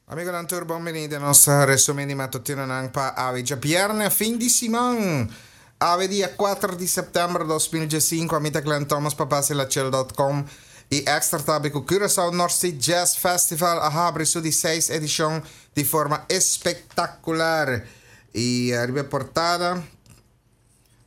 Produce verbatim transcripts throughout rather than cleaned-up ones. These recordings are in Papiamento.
Amigonan tur bon bini den nos resumen di matutinonan pa awe djabierne fin di siman. Awe dia kuater di september dos mil diesinku ami ta Glenn Thomas pa basilachel dot com y extra tabi ku Curaçao North Sea Jazz Festival a habri su di seis edishon di forma espektakular y riba e portada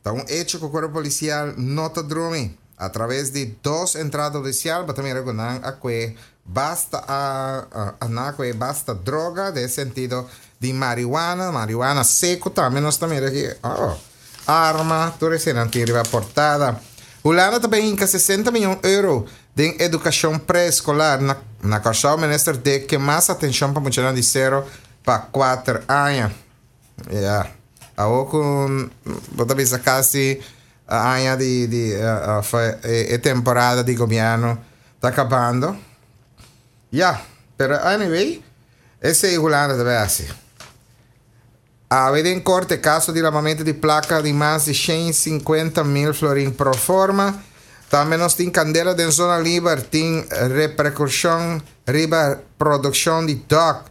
ta un hecho ku Cuerpo Policial no ta drumi. A traves di dos entrada hudisial bo ta mira ku nan a kue basta a nan a kue basta droga den e sentido di marihuana, marihuana seku tambe nos ta mira aki, oh, arma, tur eseinan tin riba portada. Hulanda ta bay hinka sesenta miyon euro den edukashon pre-eskolar. Na na Kòrsou minister Dick ke mas atenshon pa muchanan di sero pa kuater aña. Ya, awor ku bo ta bisa kasi aña di di of e temporada di gobierno ta kabando. Ya, pero anyway, esei Hulanda ta bay hasi. Awe den korte kaso di lamamento di plaka di mas di shen i sinkuenta mil florin pro forma. Tambe nos tin kandela den zona liber tin reperkushon riba produkshon di dòk.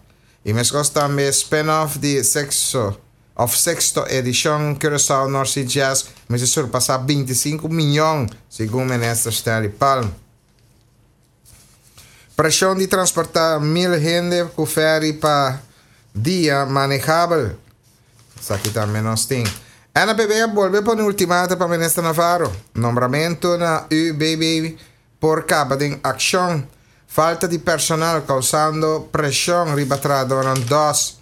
I meskos tambe spin-off di sexo of sexto edishon Curaçao North Sea Jazz mester surpasá binti sinku miyon, segun minister Stanley Palm. Preshon di transportá mil hende ku fèri pa dia manehabel. Esaki tambe nos tin. N P B a bolbe pone ultimato pa minister Navarro. Nombramentu na U B B por kaba den akshon. Falta di personal causando presion riba trahadornan dos.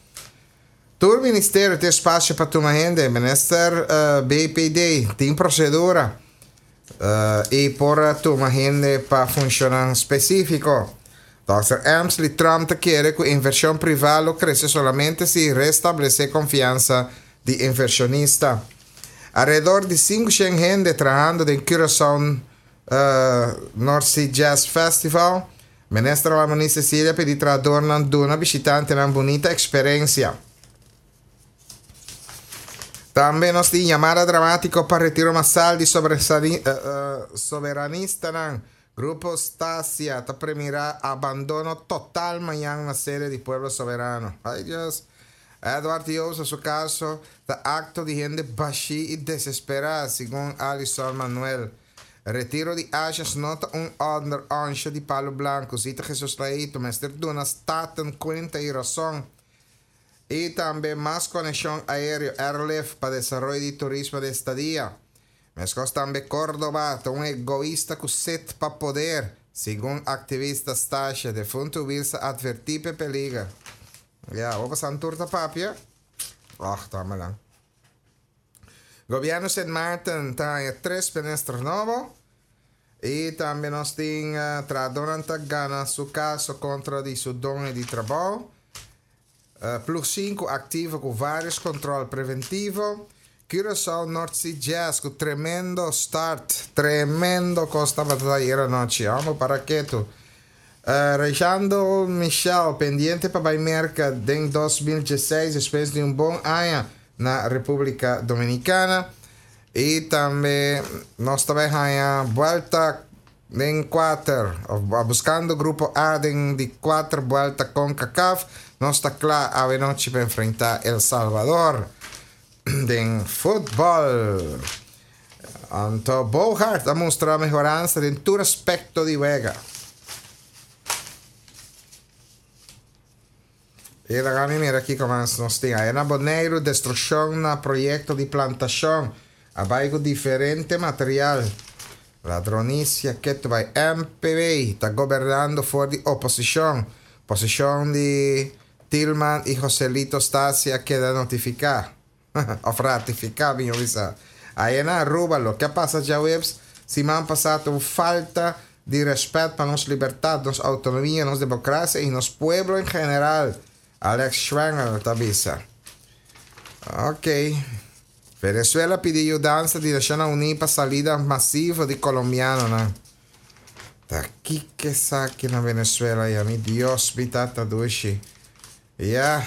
Tur ministerio tin espacio pa tuma hende. Minister B P D tin procedura y por tuma hende pa funcionnan specifico. Dòkter Emsley Trump ta kere cu inversion priva lo crece solamente si restablece confiansa di inversionista. Alrededor di cinco shen hende trahando den Curaçao North Sea Jazz Festival. Minister Ramoni Cecilia pidi trahadornan duna bishitantenan bunita experiencia. Tambe nos tin yamada dramatico pa retiro masal di soberanistanan. Grupo Stasia ta premira abandono total mañan na sede di Pueblo Soberano. Ay Dios. Edward Joost su caso ta acto di hende bashi y desespera, segun Alison Manuel. Retiro di Asjes no ta un onder onsje di palo blanco. Zita Jesus Leito, mester duna Staten cuenta y razón. Y tambe mas conexión aéreo airlift pa desaroyo di turismo di estadia. Meskos tambe Córdoba ta un egoista ku set pa poder, segun aktivista Stasha. Defuntu Wilsa advertí p'e peliger. Ya, bo pasan tur ta papia? Och, tama lang. Gobierno Sint Maarten ta haña tres minister nobo. Y tambe nos tin uh, trahadornan ta gana su caso contra di su doño di trabou. Uh, Ploeg sinku activo cu varios control preventivo. Curaçao North Sea Jazz cu tremendo start. Tremendo cos tabata ayer anochi. Amo para ketu. Uh, Rejando Michel, pendiente pa bay Merca den dos mil dieseis, despues di un bon aña na República Dominicana. Y tambe nos tambe haya vuelta den cuater, of, buscando grupo A den di cuater vuelta con CONCACAF. Nos ta cla awe nochi pa enfrenta El Salvador den futbol. Anto Bogaert a mustra mejoranza den tur aspecto di wega. E la gami mira aquí como nos tin. Ahí na Boneiru, destrucción na proyecto di plantación. Abaigo diferente material. Ladronicia que tu vai M P B está gobernando for di oposición. Posición di Tilman y Joselito Stasia queda notificar. Of ratificar, mi avisa. Ahí en Aruba, lo que pasa ya webs, si me han pasado falta de respeto para nuestra libertad, nuestra autonomía, nuestra democracia y nuestro pueblo en general. Alex Schwanger te avisa. Ok. Venezuela pide ayudanza de Naciones Unidas para salida masiva de colombianos, ¿no? Ta aquí que saque na Venezuela y a mi Dios, mi tata dushi. Ya.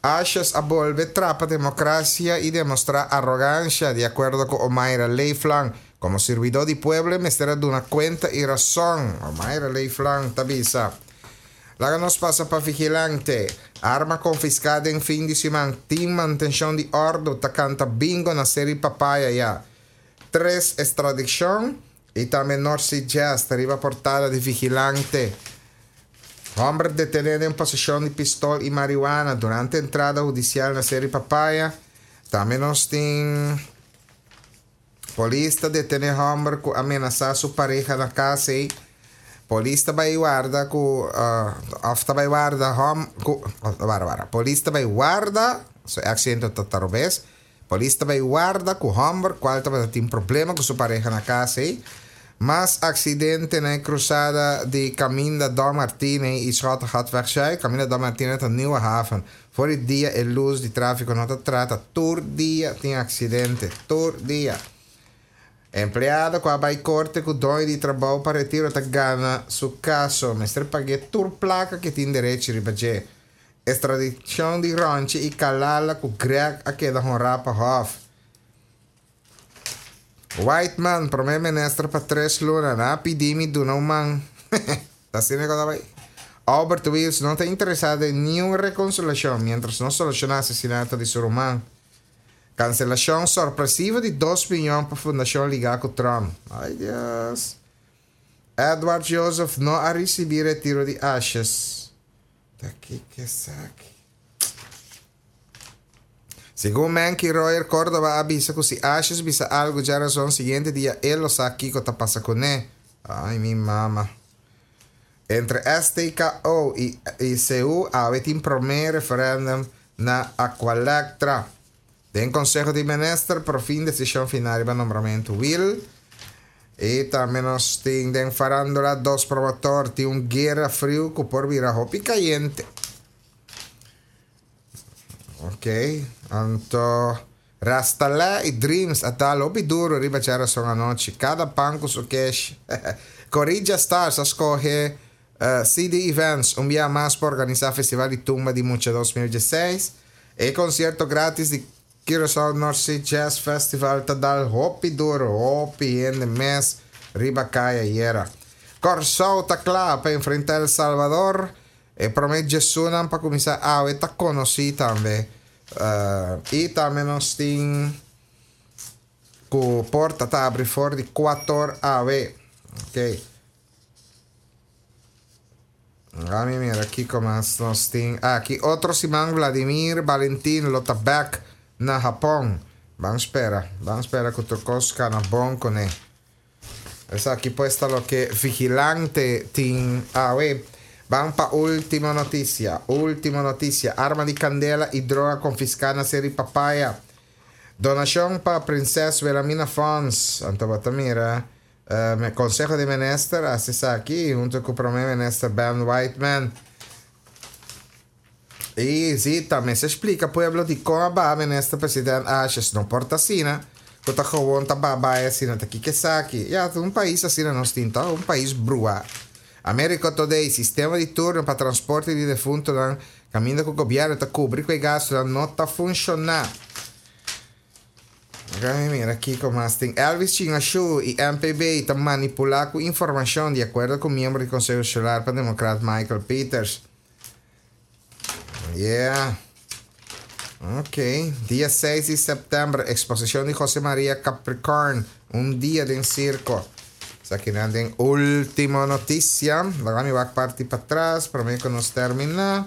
Ashes a volver trapa democracia y demostrar arrogancia, de acuerdo con Omayra Leeflang. Como servidor de pueblo, me estará de una cuenta y razón. Omayra Leeflang, tabisa. Laga nos pasa pa Vigilante. Arma konfiská den fin di siman. Tim Mantenshon di Òrdu ta kanta bingo na Ser'i Papaya ya. Tres ekstradishon i tambe North Sea Jazz ta riba portada di Vigilante. Hòmber detené den poseshon di pistol i marihuana durante entrada hudisial na Ser'i Papaya. Tambe nos tin polis ta detené hòmber ku a menasá su pareha na kas. Polis ta bai warda ku uh, òf ta bai warda hòm ku wara wara. Polis ta bai warda, so aksento ta robes. Polis ta bai warda ku hòmber kual tabatin problema ku su pareha na kas. Mas aksidente na krusada di Kaminda Don Martine i Schottegatweg Zuid. Kaminda Don Martine ta Nieuwe Haven. For di dia e lus di tráfiko no ta traha. Tur dia tin aksidente. Tur dia. Empleado ku a bai korte ku doño di trabou pa retiro ta gana su kaso. Mester paga tur plaka ku tin derecho riba dje. Ekstradishon di Ronchi i Kalala ku Greg a keda honrá pa Hof. Whiteman, promé minister pa tres luna, nan a pidi mi duna un man. Ta asina ku bai. Albert Wills no ta interesá den ningun rekonsiliashon mientras no solushoná asesinato di su ruman. Kanselashon sorpresivo di dos mion pa fundashon ligá ku Trump. Ai, Dios. Edward Joseph no a risibí retiro di Ashes. Aki ku esaki. Segun Menky Royer Córdoba a bisa ku si Ashes bisa algu djarason, siguiente dia e lo sa kiko ta pasa kuné. Ai, mi mama. Entre S T K O i, i C U, awe tin promé referendum na Aqualectra. Den Konseho di Minister, por fin desishon final pa nombramentu Will. I tambe nos tin den farándula dos promotor, tin un guera friu ku por bira hopi kayente. Ok, anto Rastala i Dreams a dal hopi duru riba djarason anochi. Kada pan ku su keshi. Corilla Stars a skohe uh, C D Events un dia mas pa organisá Festival di Tumba di Mucha dos mil diesseis. E konsierto gratis di Curaçao North Sea Jazz Festival ta dal hopi duru, hopi hende mes riba kaya ayera. Kòrsou ta kla pa enfrentá El Salvador. E promé djesunnan pa kuminsá awe ta konosí tambe. Uh, i tambe nos tin ku porta ta habri for di kuater awe. Ok. Ami mira aki kon nos tin. Aki otro siman Vladimir Valentin lo ta back na Japon. Ban spera, ban spera ku tur kos kana bon kuné. Esaki pues ta loke Vigilante tin awe. Ban pa último notisia. Último notisia. Arma di kandela i droga konfiská na Ser'i Papaya. Donashon pa Prinses Wilhelmina Fonds. Anto bo ta mira. Uh, Konseho di Minister, aki, huntu ku promé minister Ben Whiteman. I si, tambe ta splika pueblo di kon a minister presidente Asjes no por ta asina, ku ta gewoon ta baba asina, ta kiko esaki. Ya, un pais asina nos tin, ta un pais brua. America Today, sistema di turno pa transporte di defuntu, kaminda ku gobièrnu ta kubri ku gastu, no ta funshoná. Ok, mira aki kon tin Elvis Chingashu i M P B ta manipulá ku informashon di akuerdo ku miembro di Konseho Insular pa Democrat Michael Peters. Yeah. Ok. Dia seis di sèptèmber, eksposishon di José Maria Capricorn, un dia den sirko. Esaki ta último notisia. Awor mi bai parti patras, pa mi ku nos terminá.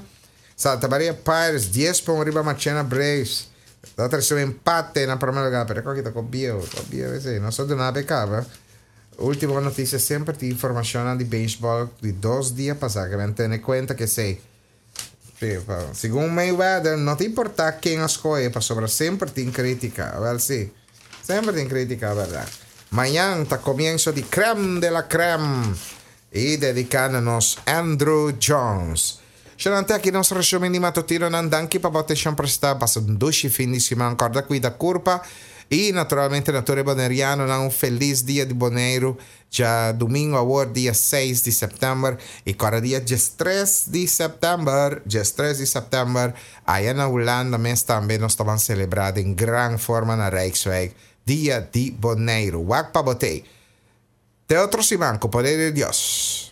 Santa Maria Pirates, dies pa riba Marchena Braves. Ta terser empate na promé lugá, pero aki ta ku bio, ku bio esei, no so di nada kaba. Último notisia semper tin informashon di beisbòl di dos dia pasá, ku mi tene kuenta ku esei. Segun Mayweather, no ta importá ken skohe, pasobra semper tin krítika. Wel, si. Semper tin krítika, berdat? Mañan ta komienso di Crème de la Crème. I dediká na nos Andrew Jones. Sharante aki nos resumen di matutinonan. Danki pa atenshon prestá. Pasa un dushi fin di siman. Kòrda kuida kurpa. I naturalmente na tur bonerianonan un felis dia di Boneiru. Djadumingu awor dia seis di sèptèmber i kada dia tres di sèptèmber, tres di sèptèmber, aya na Hulanda mes tambe nos ta selebrá den gran forma na Rijkswijk, dia di Boneiru. Wak pa bo tei. Te otro siman, ku poder di Dios.